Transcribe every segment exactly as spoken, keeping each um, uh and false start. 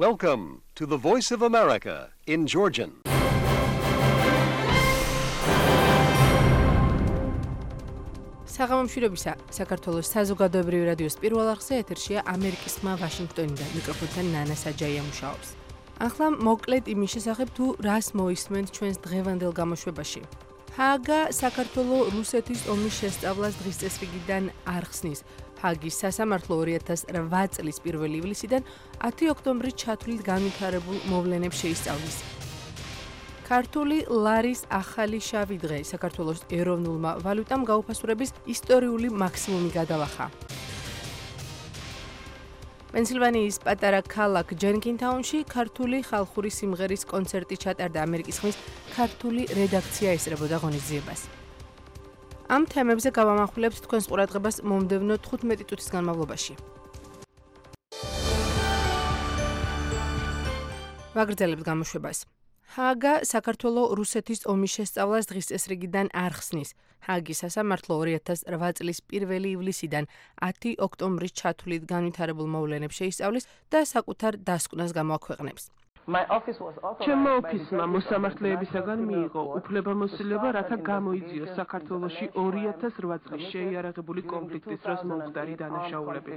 Welcome to the Voice of America in Georgian. საღამომშვიდობისა, საქართველოს საზოგადოებრივი რადიოს პირველ არხზე ეთერშია ამერიკის ხმა ვაშინგტონიდან, მიკროფონთან ნანა საჯაია მუშაობს. ახლა მოკლედ იმის შესახებ თუ რას მოისმენთ ჩვენს დღევანდელ გამოშვებაში. ჰააგა საქართველოს რუსეთის ომის შესწავლას დღის წესრიგიდან არ ხსნის. ჰააგის სასამართლო ორი ათას რვა წლის პირველი ივლისიდან ათი ოქტომბრის ჩათვლით განვითარებულ მოვლენებს შეისწავლის. ქართული ლარის ახალი შავი დღე საქართველოს ეროვნულმა ვალუტამ გაუფასურების ისტორიული მაქსიმუმი გადალახა. პენსილვანიის პატარა ქალაქ ჯენკინთაუნში ქართული ხალხური სიმღერის კონცერტი ჩატარდა. ამერიკის ხმის ქართული რედაქცია ესწრებოდა ღონისძიებას. ამ თემებზე გავამახვილებთ თქვენს ყურადღებას მომდევნო თხუთმეტი წუთის განმავლობაში. ვაგრძელებთ გამოშვებას. ჰააგა საქართველოს რუსეთის ომის შესწავლას დღის წესრიგიდან არ ხსნის. ჰააგის სასამართლო ორი ათას რვა წლის პირველი ივლისიდან ათი ოქტომბრის ჩათვლით განვითარებულ მოვლენებს შეისწავლის და საკუთარ დასკვნას გამოაქვეყნებს. ჩემმა ოფისმა მოსამართლეებისაგან მიიღო უფლებამოსილება, რათა გამოიძიოს საქართველოში ორი ათას რვა წლის შეიარაღებული კონფლიქტის დროს მომხდარი დანაშაულები.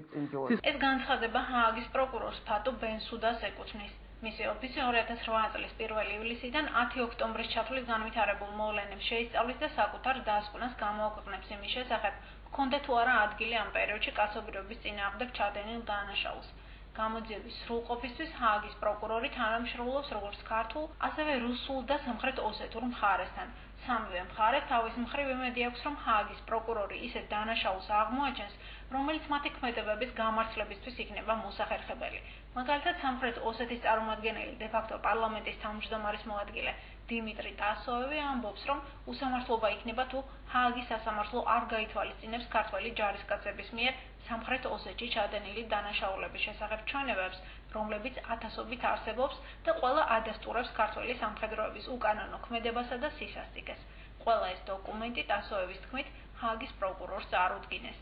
ეს განცხადება ჰააგის პროკურორს ფატუ ბენსუდას ეკუთვნის. მისი ოფისი ორი ათას რვა წლის პირველი ივლისიდან ათი ოქტომბრის ჩათვლით განვითარებულ მოვლენებს შეისწავლის და საკუთარ დასკვნას გამოაქვეყნებს იმის შესახებ, ჰქონდა თუ არა ადგილი ამ პერიოდში კაცობრიობის წინააღმდეგ ჩადენილ დანაშაულს. გამოძიების სრულყოფისთვის ჰააგის პროკურორი თანამშრომლობს როგორც ქართულ, ასევე რუსულ და სამხრეთ ოსეთურ მხარესთან. სამივე მხარე თავის მხრივ იმედი აქვს, რომ ჰააგის პროკურორი ისეთ დანაშაულს აღმოაჩენს, რომელიც მათი ქმედებების გამართლებისთვის იქნება მოსახერხებელი. მაგალითად, სამხრეთ ოსეთის წარმომადგენელი დე-ფაქტო პარლამენტის თავმჯდომარის მოადგილე დიმიტრი ტასოევი ამბობს, რომ უსამართლობა იქნება თუ ჰააგის სასამართლო არ გაითვალისწინებს ქართველი ჯარისკაცების მიერ სამხრეთ ოსეთში ჩადენილი დანაშაულების შესახებ ჩვენებებს, რომლებიც ათასობით არსებობს და ყველა ადასტურებს ქართველი სამხედროების უკანონო ქმედებასა და სისასტიკეს. ყველა ეს დოკუმენტი ტასოევის თქმით ჰააგის პროკურორს წარუდგინეს.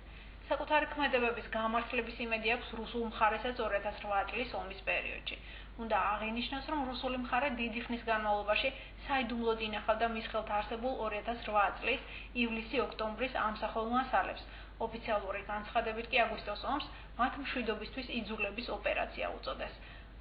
საკუთარი ქმედებების გამართლების იმედი აქვს რუსულ მხარესაც ორი ათას რვა წლის ომის პერიოდში. უნდა აღინიშნოს, რომ რუსული მხარე დიდი ხნის განმავლობაში საიდუმლოდ ინახავდა მის ხელთ არსებულ ორი ათას რვა წლის ივლისი-ოქტომბრის ამსახველ მასალებს. ოფიციალური განცხადებით კი აგვისტოს ომს მათ მშვიდობისთვის იძულების ოპერაცია უწოდეს.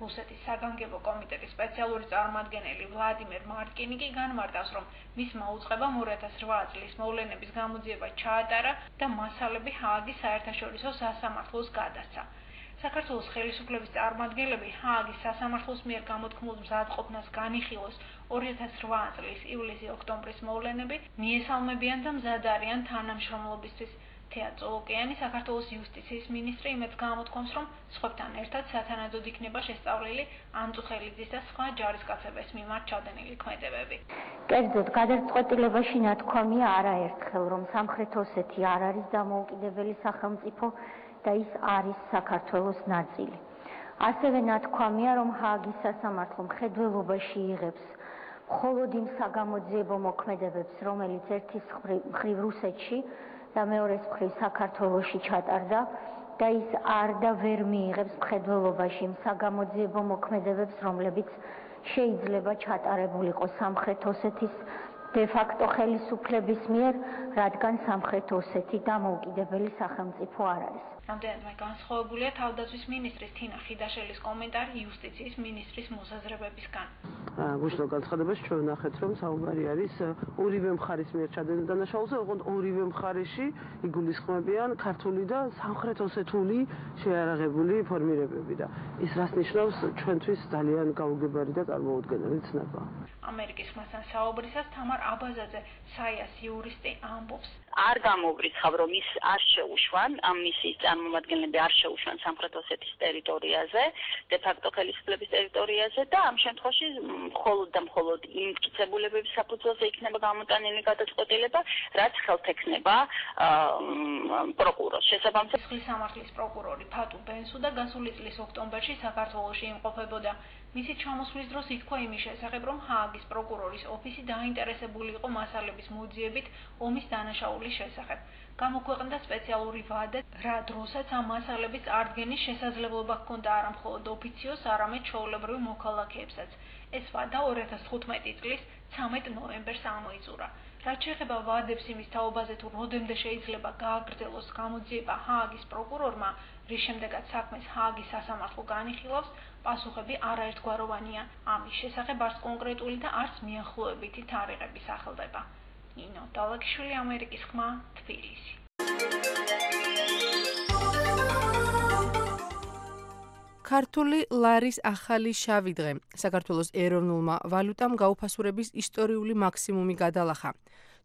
რუსეთის საგანგებო კომიტეტის სპეციალური წარმომადგენელი ვლადიმერ მარკინი კი განმარტავს, რომ მისმა უწყებამ ორი ათას რვა წლის მოვლენების გამოძიება ჩაატარა და მასალები ჰააგის საერთაშორისო სასამართლოს გადასცა. საქართველოს ხელისუფლების წარმომადგენლები ჰააგის სასამართლოს მიერ გამოთქმულ მზადყოფნას განიხილოს ორი ათას რვა წლის ივლისი-ოქტომბრის მოვლენები მიესალმებიან და მზად არიან თანამშრომლობისთვის. თეა წოლოკიანი, საქართველოს იუსტიციის მინისტრი, იმედს გამოთქვამს, რომ სხვებთან ერთად სათანადოდ იქნება შესწავლილი ანწუხელიძის და სხვა ჯარისკაცების მიმართ ჩადენილი ქმედებები. კერძოდ, გადაწყვეტილებაში ნათქვამია არაერთხელ, რომ სამხრეთ ოსეთი არ არის დამოუკიდებელი სახელმწიფო და ის არის საქართველოს ნაწილი. ასევე ნათქვამია, რომ ჰააგის სასამართლო მხედველობაში იღებს მხოლოდ იმ საგამოძიებო მოქმედებებს, რომელიც ერთის მხრივ რუსეთში და მეორეს მხრივ საქართველოში ჩატარდა და ის არ და ვერ მიიღებს მხედველობაში იმ საგამოძიებო მოქმედებებს, რომლებიც შეიძლება ჩატარებულიყო სამხრეთ ოსეთის დე-ფაქტო ხელისუფლების მიერ, რადგან სამხრეთ ოსეთი დამოუკიდებელი სახელმწიფო არ არის. რამდენადმე განსხვავებულია თავდაცვის მინისტრის თინა ხიდაშელის კომენტარი იუსტიციის მინისტრის მოსაზრებებისგან. გუშინდელ განცხადებაში ჩვენ ვნახეთ, რომ საუბარი არის ორივე მხარის მიერ ჩადენილ დანაშაულზე, ოღონდ ორივე მხარეში იგულისხმებიან ქართული და სამხრეთ ოსეთული შეიარაღებული ფორმირებები და ის რას ნიშნავს ჩვენთვის ძალიან გაუგებარი და წარმოუდგენელი ცნება. ამერიკის ხმასთან საუბრისას თამარ აბაზაძე, საიას იურისტი, ამბობს. არ გამოვრიცხავ, რომ ის არ შეუშვან, ამ მისიის წარმომადგენლები არ შეუშვან სამხრეთ ოსეთის ტერიტორიაზე, დე-ფაქტო ხელისუფლების ტერიტორიაზე და ამ შემთხვევაში მხოლოდ და მხოლოდ იმ მტკიცებულებების საფუძველზე იქნება გამოტანილი გადაწყვეტილება, რაც ხელთ ექნება პროკურორს. შესაბამისად, ხლის სამართლის პროკურორი ფატუ ბენსუდა გასული წლის ოქტომბერში საქართველოში იმყოფებოდა. მისი ჩამოსვლის დროს ითქვა იმის შესახებ, რომ ჰააგის პროკურორის ოფისი დაინტერესებული იყო მასალების მოძიებით ომის დანაშაულის შესწავლის შესახებ. გამოქვეყნდა სპეციალური ვადა, რა დროსაც ამ მასალების წარდგენის შესაძლებლობა ჰქონდა არა მხოლოდ ოფიციოს, არამედ ჩვეულებრივ მოქალაქეებსაც. ეს ვადა ორი ათას თხუთმეტი წლის ცამეტ ნოემბერს ამოიწურა. რაც შეეხება ვადებს იმის თაობაზე თუ როდემდე შეიძლება გააგრძელოს გამოძიება ჰააგის პროკურორმა, რის შემდეგაც საქმეს ჰააგის სასამართლო განიხილავს, პასუხები არაერთგვაროვანია. ამის შესახებ არც კონკრეტული და არც მიახლოებითი თარიღები სახელდება. ნინო დალაგიშვილი, ამერიკის ხმა, თბილისი. ქართული ლარის ახალი შავი დღე. საქართველოს ეროვნულმა ვალუტამ გაუფასურების ისტორიული მაქსიმუმი გადალახა.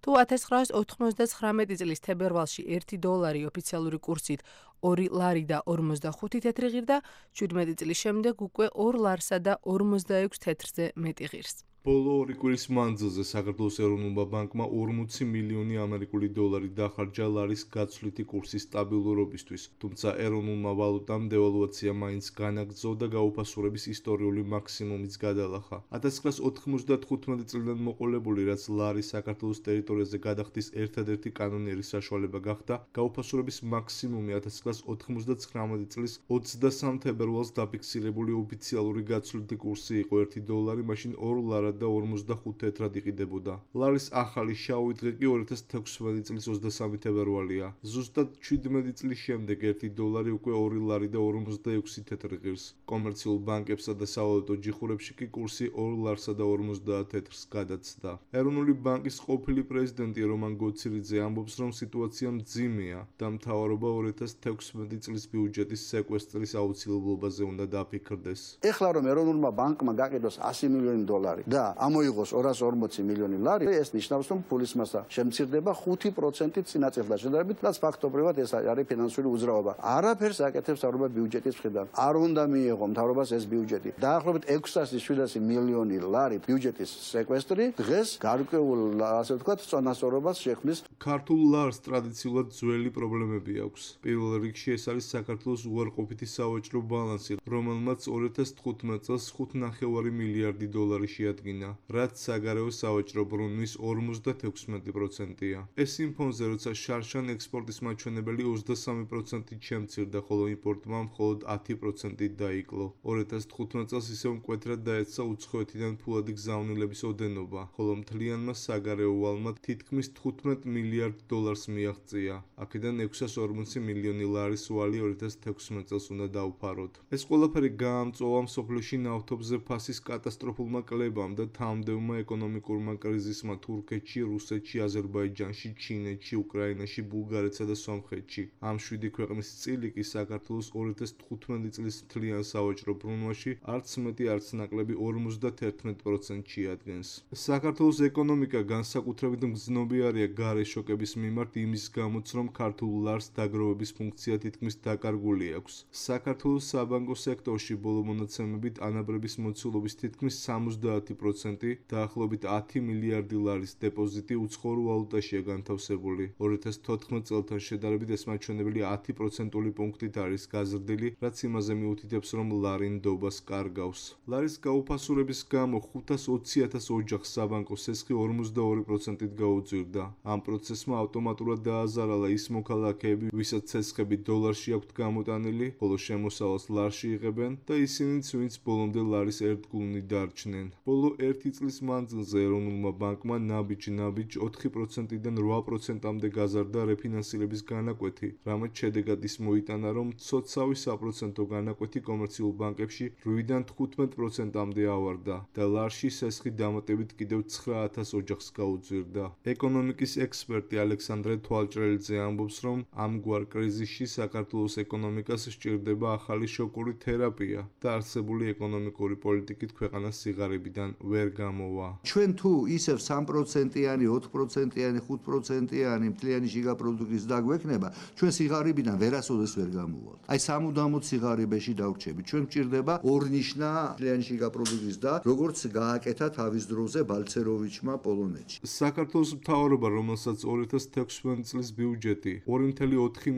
თუ ათას ცხრაას ოთხმოცდაცხრამეტი წლის თებერვალში ერთი დოლარი ოფიციალური კურსით ორი ლარი და ორმოცდახუთი თეთრი ღირდა, შვიდმეტი წლის შემდეგ უკვე ორ ლარსა და ორმოცდაექვს თეთრზე მეტი ღირს. ბოლო ორი კვირის მანძილზე საქართველოს ეროვნულმა ბანკმა ორმოცი მილიონი ამერიკული დოლარი დახარჯა ლარის გაცვლითი კურსის სტაბილურობისთვის, თუმცა ეროვნულმა ვალუტამ დევალვაცია მაინც განაგრძო და გაუფასურების ისტორიული მაქსიმუმიც გადალახა. ათას ცხრაას ოთხმოცდათხუთმეტი წლიდან მოყოლებული, რაც ლარის საქართველოს ტერიტორიაზე გადახდის ერთადერთი კანონიერი საშუალება გახდა, გაუფასურების მაქსიმუმი ათას ცხრაას ოთხმოცდაცხრამეტი წლის ოცდასამ თებერვალს დაფიქსირებული ოფიციალური გაცვლითი კურსი იყო ერთი დოლარი, მაშინ ორ ლარად და ორმოცდახუთ თეთრად იყიდებოდა. ლარის ახალი შავი დღე კი ორი ათას თექვსმეტი წლის ოცდასამი თებერვალია. ზუსტად შვიდმეტი წლის შემდეგ ერთი დოლარი უკვე ორი ლარი და ორმოცდაექვსი თეთრი ღირს. კომერციულ ბანკებსა და სავალუტო ჯიხურებში კი კურსი ორ ლარსა და ორმოცდაათ თეთრს გადაცდა. ეროვნული ბანკის ყოფილი პრეზიდენტი რომან გოცირიძე ამბობს, რომ სიტუაცია მძიმეა და მთავრობა ორი ათას თექვსმეტი წლის ბიუჯეტის სეკვესტრის აუცილებლობაზე უნდა დაფიქრდეს. ეხლა რომ ეროვნულმა ბანკმა გაყიდოს ასი მილიონი დოლარი და ამოიღოს ორას ორმოცი მილიონი ლარი, ეს ნიშნავს, რომ ფულის მასა შემცირდება ხუთი პროცენტით წინაწელთან შედარებით, რაც ფაქტობრივად ეს არის ფინანსური უძრაობა. არაფერს აკეთებს მთავრობა ბიუჯეტის მხრიდან. არ უნდა მიიღო მთავრობას ეს ბიუჯეტი. დაახლოებით ექვსასი შვიდასი მილიონი ლარი ბიუჯეტის სეკვესტრი დღეს გარკვეულ, ასე ვთქვათ, წონასწორობას შექმნის. ქართულ ლარს ტრადიციულად ძველი პრობლემები აქვს. პირველ რიგში ეს არის საქართველოს უარყოფითი სავაჭრო ბალანსი, რომელმაც ორი ათას თხუთმეტ წელს ხუთ ნახევარი მილიარდი დოლარი შეადგინა, რაც საგარეო სავაჭრო ბრუნვის ორმოცდათექვსმეტი პროცენტია. ეს იმ ფონზე, როცა შარშან ექსპორტის მაჩვენებელი ოცდასამი პროცენტით შემცირდა, ხოლო იმპორტმა მხოლოდ ათი პროცენტით დაიკლო. ორი ათას თხუთმეტ წელს ისევ მკვეთრად დაეცა უცხოეთიდან ფულადი გზავნილების ოდენობა, ხოლო მთლიანმა საგარეო ვალმა თითქმის თხუთმეტ მილიარდ დოლარს მიაღწია. აქედან ექვსას ორმოცი მილიონი ლარის ვალი ორი ათას თექვსმეტ წელს უნდა დავფაროთ. ეს ყველაფერი გაამწვავა მსოფლიოში ნავთობზე ფასის კატასტროფულმა კლებამ და თამდევმა ეკონომიკურმა კრიზისმა თურქეთში, რუსეთში, აზერბაიჯანში, ჩინეთში, უკრაინაში, ბულგარეთსა და სომხეთში. ამ შვიდი ქვეყნის წილი კი საქართველოს ორი ათას თხუთმეტი წლის მთლიან სავაჭრო ბრუნვაში არც მეტი, არც ნაკლები ორმოცდათერთმეტ პროცენტს შეადგენს. საქართველოს ეკონომიკა განსაკუთრებით მგრძნობიარეა გარე შოკების მიმართ იმის გამოც, რომ ქართულ ლარს დაგროვების ფუნქცია თითქმის დაკარგული აქვს. საქართველოს საბანკო სექტორში ბოლო მონაცემებით ანაბრების მოცულობის თითქმის სამოცდაათი პროცენტი, დაახლოებით ათი მილიარდი ლარის დეპოზიტი უცხოურ ვალუტაშია განთავსებული. ორი ათას თოთხმეტ წელთან შედარებით ეს მაჩვენებელი ათი პროცენტული პუნქტით არის გაზრდილი, რაც იმაზე მიუთითებს, რომ ლარი ნდობას კარგავს. ლარის გაუფასურების გამო ხუთას ოცი ათას ოჯახს საბანკო სესხი ორმოცდაორი პროცენტით გაუძვირდა. ამ პროცესმა ავტომატურად დააზარალა ის მოქალაქეები, ვისაც სესხები დოლარში აქვთ გამოტანილი, ხოლო შემოსავალს ლარში იღებენ და ისინიც, ვინც ბოლომდე ლარის ერთგულნი დარჩნენ. ბოლო ერთი წლის მანძილზე ეროვნულმა ბანკმა ნაბიჯ-ნაბიჯ ოთხი პროცენტიდან რვა პროცენტამდე გაზარდა რეფინანსირების განაკვეთი, რამაც შედეგად ის მოიტანა, რომ მცოცავი საპროცენტო განაკვეთი კომერციულ ბანკებში რვიდან თხუთმეტ პროცენტამდე ავარდა და ლარში სესხი დამატებით კიდევ ცხრა ათას ოჯახს გაუძვირდა. ეკონომიკის ექსპერტი ალექსანდრე თვალჭრელიძე ამბობს, რომ ამგვარ კრიზისში საქართველოს ეკონომიკას სჭირდება ახალი შოკური თერაპია და არსებული ეკონომიკური პოლიტიკით ქვეყანა სიღარიბიდან ვერ გამოვა. ჩვენ თუ ისევ სამ პროცენტიანი, ოთხ პროცენტიანი, ხუთ პროცენტიანი მთლიანი შიგა პროდუქტის დაგვექნება, ჩვენ სიღარიბიდან ვერასოდეს ვერ გამოვალთ. აი სამუდამოდ სიღარიბეში დავრჩებით. ჩვენ გვჭირდება ორნიშნა მთლიანი შიგა პროდუქტის და როგორც გააკეთა თავის დროზე ბალცეროვიჩმა პოლონეთში. საქართველოს მთავრობა, რომელსაც ორი ათას თექვსმეტი წლის ბიუჯეტი ორი ათას ოთხი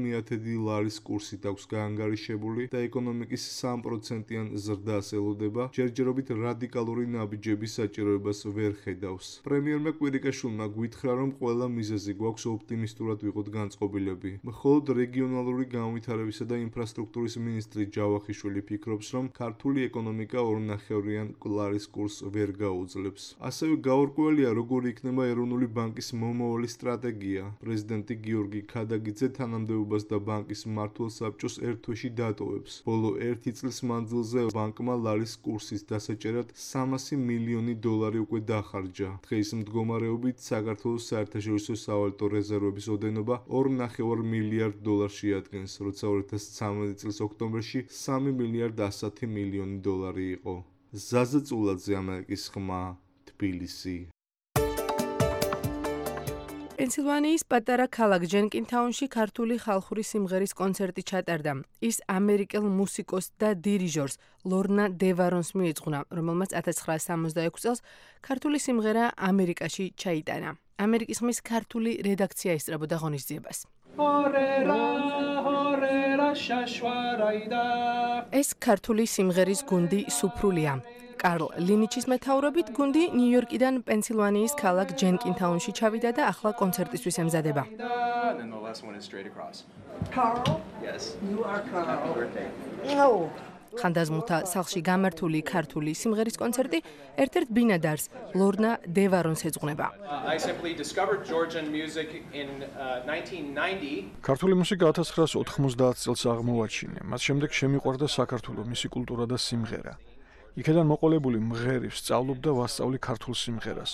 ლარის კურსით აქვს გაანგარიშებული და ეკონომიკის სამ პროცენტიან ზრდას ელოდება, ჯერჯერობით რადიკალური ნაბიჯები დანაშაულების საჭიროებას ვერ ხედავს. პრემიერმა კვირიკაშვილმა გვითხრა, რომ ყველა მიზეზი გვაქვს ოპტიმისტურად ვიყოთ განწყობილები. მხოლოდ რეგიონალური განვითარებისა და ინფრასტრუქტურის მინისტრი ჯავახიშვილი ფიქრობს, რომ ქართული ეკონომიკა ორნახევრიან კვლარის კურსს ვერ გაუძლებს. ასევე გაურკვეველია, როგორ იქნება ეროვნული ბანკის მომავალი სტრატეგია. პრეზიდენტი გიორგი ქადაგიძე თანამდებობას და ბანკის მმართველ საბჭოს ერთ თვეში დატოვებს. ბოლო ერთი წლის მანძილზე ბანკმა ლარის კურსის დასაჭერად სამასი მილიონი დოლარი უკვე დახარჯა. დღეის მდგომარეობით საქართველოს საერთაშორისო სავალუტო რეზერვების ოდენობა ორ ნახევარ მილიარდ დოლარს შეადგენს, როცა ორი ათას ცხრამეტი წლის ოქტომბერში სამი მილიარდ ასი მილიონი დოლარი იყო. ზაზა წულაძე, ამერიკის ხმა, თბილისი. პენსილვანიის პატარა ქალაქ ჯენკინთაუნში ქართული ხალხური სიმღერის კონცერტი ჩატარდა. ის ამერიკელ მუსიკოსს და დირიჟორს ლორნა დევარონს მიეძღვნა, რომელმაც ათას ცხრაასი სამოცდაექვსი წელს ქართული სიმღერა ამერიკაში ჩაიტანა. ამერიკის ხმის ქართული რედაქცია ესწრებოდა ღონისძიებას. ეს ქართული სიმღერის გუნდი სუფრულია. კარლ ლინიჩის მეთაურობით გუნდი ნიუ-იორკიდან პენსილვანიის ქალაქ ჯენკინთაუნში ჩავიდა და ახლა კონცერტისთვის ემზადება. ხანდაზმულთა სახლში გამართული ქართული სიმღერის კონცერტი ერთ-ერთ ბინადარს ლორნა დევარონს ეძღვნება. ქართული მუსიკა ათას ცხრაასი ოთხმოცდაათი წელს აღმოვაჩინე. მას შემდეგ შემიყვარდა საქართველო, მისი კულტურა და სიმღერა. იქედან მოყოლებული მღერი ვსწავლობ და ვასწავლი ქართულ სიმღერას.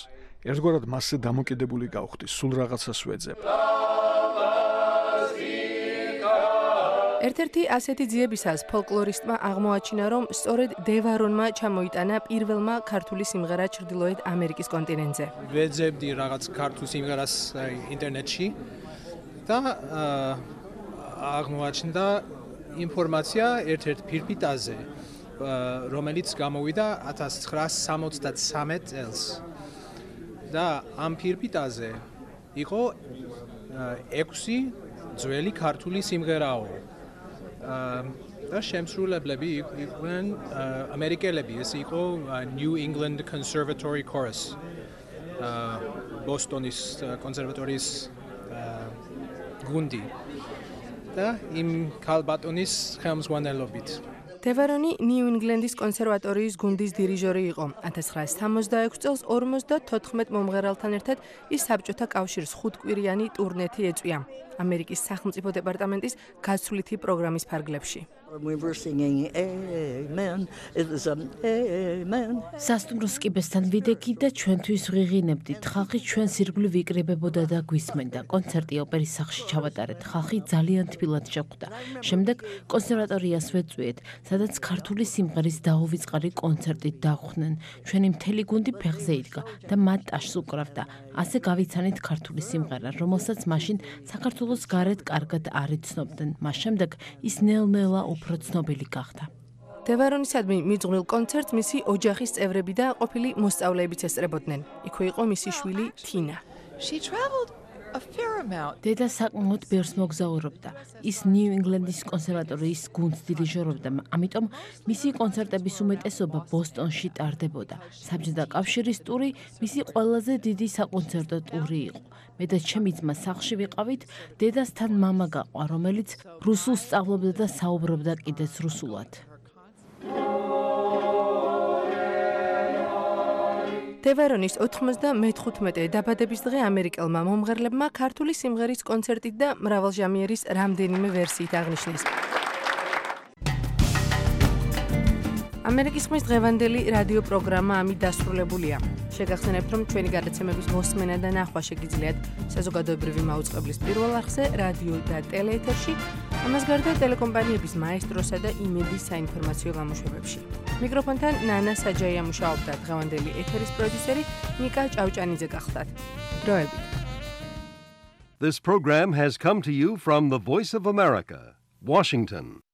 ერთგვარად მასზე დამოკიდებული გავხდი, სულ რაღაცას ვეძებ. ერთ-ერთი ასეთი ძიებისას ფოლკლორისტმა აღმოაჩინა, რომ სწორედ დევარონმა ჩამოიტანა პირველმა ქართული სიმღერა ჩრდილოეთ ამერიკის კონტინენტზე. ვეძებდი რაღაც ქართულ სიმღერას ინტერნეტში და აღმოაჩნდა ინფორმაცია ერთ-ერთ ფირფიტაზე, რომელიც გამოვიდა ათას ცხრაასი სამოცდათსამეტ წელს. და ამ ფირფიტაზე იყო ექვსი ძველი ქართული სიმღერაო. და შემსრულებლები იყვნენ ამერიკელები, ეს იყო New England Conservatory Chorus. ბოსტონის კონსერვატორიის გუნდი. და იმ ქალბატონის ხელმძღვანელობით. დევარონი ნიუ-ინგლენდის კონსერვატორიის გუნდის დირიჟორი იყო. ათას ცხრაასი სამოცდაექვსი წელს ორმოცდათოთხმეტ მომღერალთან ერთად ის საბჭოთა კავშირის ხუთკვირიანი ტურნეთი ეწვია ამერიკის სახელმწიფო დეპარტამენტის გაცვლითი პროგრამის ფარგლებში. სასტუმროს კიბესთან ვიდექი და ჩვენთვის ვღიღინებდით. ხალხი ჩვენს ირგვლივ იკრიბებოდა და გვისმენდა. კონცერტი ოპერის სახლში ჩავატარეთ. ხალხი ძალიან თბილად შეხვდა. შემდეგ კონსერვატორიას ვეწვიეთ, სადაც ქართული სიმღერის დაუვიწყარი კონცერტი დახვდნენ. ჩვენი მთელი გუნდი ფეხზე იდგა და მათ ტაშს უკრავდა. ასე გავიცანით ქართული სიმღერა, რომელსაც მაშინ საქართველოს გარეთ კარგად არ იცნობდნენ. მას შემდეგ ის ნელ-ნელა უფრო ცნობილი გახდა. დევარონისადმი მიძღვნილ კონცერტს მისი ოჯახის წევრები და ყოფილი მოსწავლეებიც ესწრებოდნენ. იქვე იყო მისი შვილი თინა. დედა საკმაოდ ბევრს მოგზაურობდა. ის ნიუ-ინგლენდის კონსერვატორიის გუნდს დირიჟორობდა, ამიტომ მისი კონცერტების უმეტესობა ბოსტონში ტარდებოდა. საბჭოთა კავშირის ტური მისი ყველაზე დიდი საკონცერტო ტური იყო. მე და ჩემი ძმა სახლში ვიყავით, დედასთან მამა გაყვა, რომელიც რუსულს სწავლობდა და საუბრობდა კიდეც რუსულად. დევარონის ოთხმოცდამეხუთმეტე დაბადების დღე ამერიკელმა მომღერლებმა ქართული სიმღერის კონცერტით და მრავალჟამიერის რამდენიმე ვერსიით აღნიშნეს. ამერიკის ხმის დღევანდელი რადიო პროგრამა ამით დასრულებულია. შეგახსენებთ, რომ ჩვენი გადაცემების მოსმენა და ნახვა შეგიძლიათ საზოგადოებრივი მაუწყებლის პირველ არხზე, რადიო და ტელეეთერში, ამას გარდა ტელეკომპანიების მაესტროსა და იმედის საინფორმაციო გამოშვებებში. მიკროფონთან ნანა საჯაია მუშაობდა, დღევანდელი ეთერის პროდიუსერი ნიკა ჭავჭანიძე გახლდათ. დროებით. This program has come to you from the Voice of America, Washington.